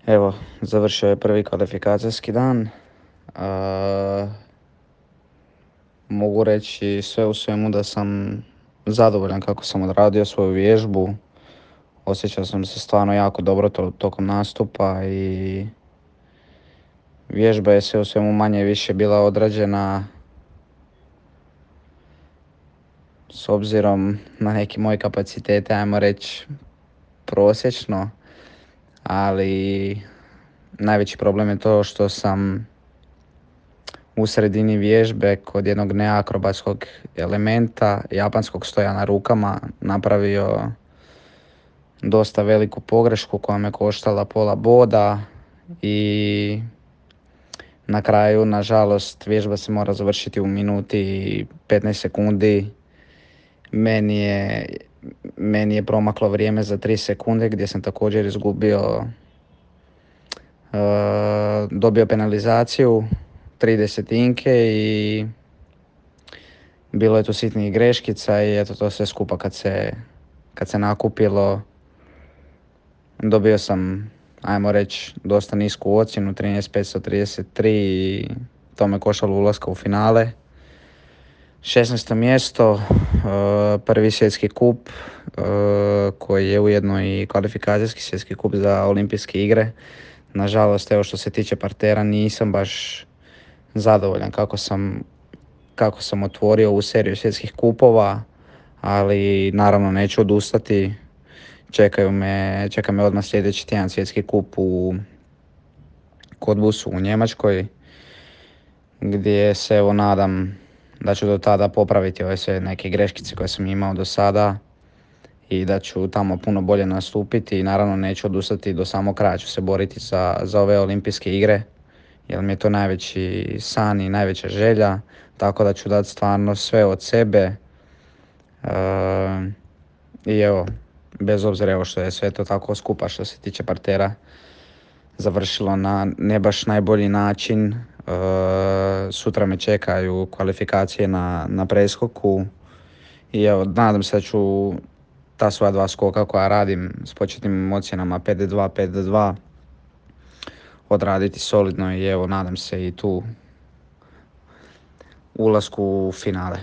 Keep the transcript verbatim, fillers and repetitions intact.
Evo, završio je prvi kvalifikacijski dan. A, mogu reći sve u svemu da sam zadovoljan kako sam odradio svoju vježbu. Osjećao sam se stvarno jako dobro to, tokom nastupa i vježba je sve u svemu manje više bila odrađena s obzirom na neki moj kapacitete, ajmo reći prosječno, ali najveći problem je to što sam u sredini vježbe kod jednog neakrobatskog elementa, japanskog stoja na rukama, napravio dosta veliku pogrešku koja me koštala pola boda i na kraju, nažalost, vježba se mora završiti u minuti i petnaest sekundi. Meni je, meni je promaklo vrijeme za tri sekunde gdje sam također izgubio, uh, dobio penalizaciju tri desetinke i bilo je tu sitnih greškica i eto to sve skupa kad se, kad se nakupilo dobio sam, ajmo reći, dosta nisku ocjenu, trinaest petsto trideset tri i to me koštalo ulaska u finale. šesnaesto mjesto, prvi svjetski kup koji je ujedno i kvalifikacijski svjetski kup za olimpijske igre. Nažalost, evo što se tiče partera nisam baš zadovoljan kako sam, kako sam otvorio ovu seriju svjetskih kupova, ali naravno neću odustati. Čekaju me, čeka me odmah sljedeći tjedan svjetski kup u Kodbusu u Njemačkoj, gdje se evo nadam da ću do tada popraviti ove sve neke greškice koje sam imao do sada i da ću tamo puno bolje nastupiti i naravno neću odustati do samog kraja, ću se boriti za, za ove olimpijske igre jer mi je to najveći san i najveća želja, tako da ću dati stvarno sve od sebe. E, I evo, bez obzira evo što je sve to tako skupa što se tiče partera završilo na ne baš najbolji način. E, sutra me čekaju kvalifikacije na, na preskoku i evo, nadam se da ću ta svoja dva skoka koja radim s početnim ocjenama pet do dva, pet do dva odraditi solidno i evo, nadam se i tu ulasku u finale.